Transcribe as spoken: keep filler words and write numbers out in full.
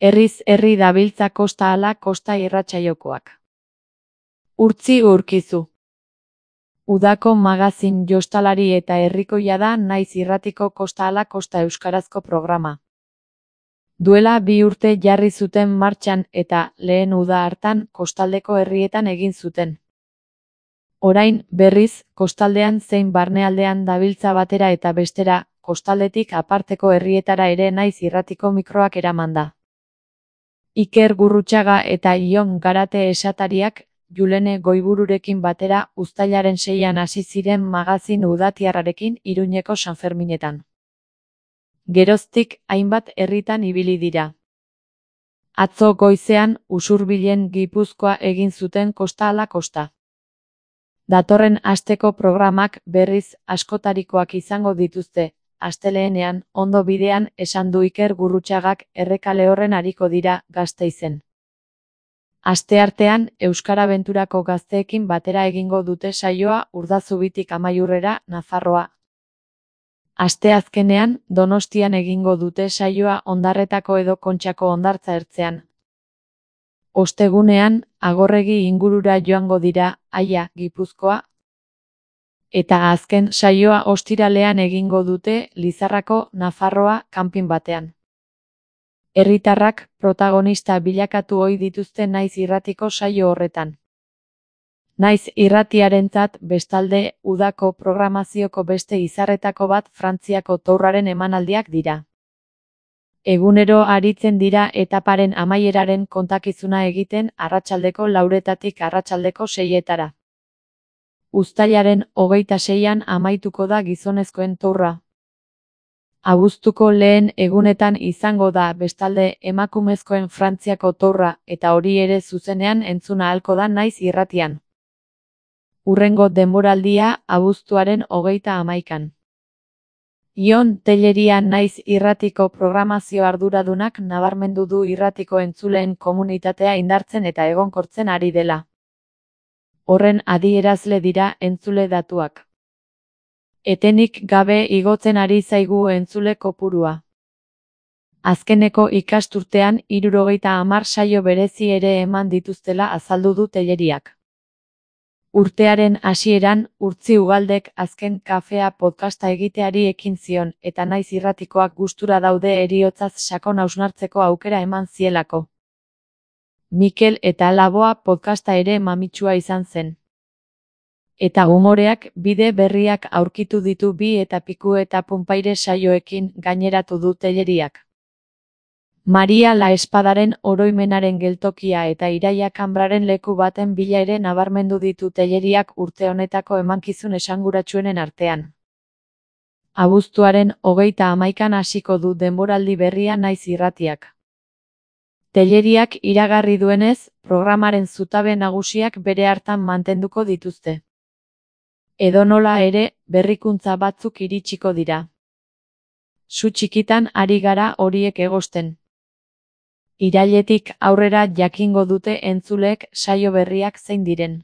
Herriz herri dabiltza kosta ala kosta irratsaiokoak. Urtzi urkizu. Udako magazin jostalari eta herrikoia da Naiz irratiko kosta ala kosta euskarazko programa. Duela bi urte jarri zuten martxan eta lehen uda hartan kostaldeko herrietan egin zuten. Orain, berriz, kostaldean zein barnealdean dabiltza batera eta bestera, kostaldetik aparteko herrietara ere Naiz irratiko mikroak eramanda. Iker Gurrutxaga eta Ion Garate esatariak, Julene Goibururekin batera uztailaren seian hasi ziren magazin udatiarrarekin Iruñeko Sanferminetan. Geroztik hainbat herritan ibili dira. Atzo goizean Usurbilen Gipuzkoa egin zuten kosta ala kosta. Datorren asteko programak berriz askotarikoak izango dituzte, astelehenean, ondo bidean esan du Iker Gurrutxagak Errekale horren ariko dira Gasteizen. Asteartean, Euskarabenturako gazteekin batera egingo dute saioa Urdazubitik Amaiurrera, Nafarroa. Asteazkenean, Donostian egingo dute saioa Ondarretako edo Kontxako hondartza ertzean. Ostegunean, Agorregi ingurura joango dira, Aia, Gipuzkoa. Eta azken saioa ostiralean egingo dute Lizarrako, Nafarroa, kanpin batean. Herritarrak protagonista bilakatu ohi dituzte Naiz irratiko saio horretan. Naiz irratiarentzat bestalde udako programazioko beste izarretako bat Frantziako tourraren emanaldiak dira. Egunero aritzen dira etaparen amaieraren kontakizuna egiten arratsaldeko lauretatik arratsaldeko seietara. Uztailaren hogeita seian amaituko da gizonezkoen tourra. Abuztuko lehen egunetan izango da bestalde emakumezkoen Frantziako tourra eta hori ere zuzenean entzun ahalko da Naiz irratian. Hurrengo denboraldia abuztuaren hogeita hamaikan. Ion Telleria Naiz irratiko programazio arduradunak nabarmendu du irratiko entzuleen komunitatea indartzen eta egonkortzen ari dela. Horren adierazle dira entzule datuak. Etenik gabe igotzen ari zaigu entzule kopurua. Azkeneko ikasturtean hirurogeita hamar saio berezi ere eman dituztela azaldu du Telleriak. Urtearen hasieran, Urtzi Ugaldek azken kafea podcasta egiteari ekin zion eta Naiz irratikoak gustura daude heriotzaz sakon hausnartzeko aukera eman zielako. Mikel eta Laboa podcasta ere mamitsua izan zen. Eta umoreak bide berriak aurkitu ditu bi eta piku eta punpaire saioekin gaineratu du Telleriak. Maria la Espadaren oroimenaren geltokia eta Iraia Kanbraren leku baten bila ere nabarmendu ditu Telleriak urte honetako emankizun esanguratsuenen artean. Abuztuaren hogeita hamaikan hasiko du denboraldi berria Naiz irratiak. Telleriak iragarri duenez, programaren zutabe nagusiak bere hartan mantenduko dituzte. Edonola ere, berrikuntza batzuk iritsiko dira. Zu txikitan ari gara horiek egosten. Irailetik aurrera jakingo dute entzuleek saio berriak zein diren.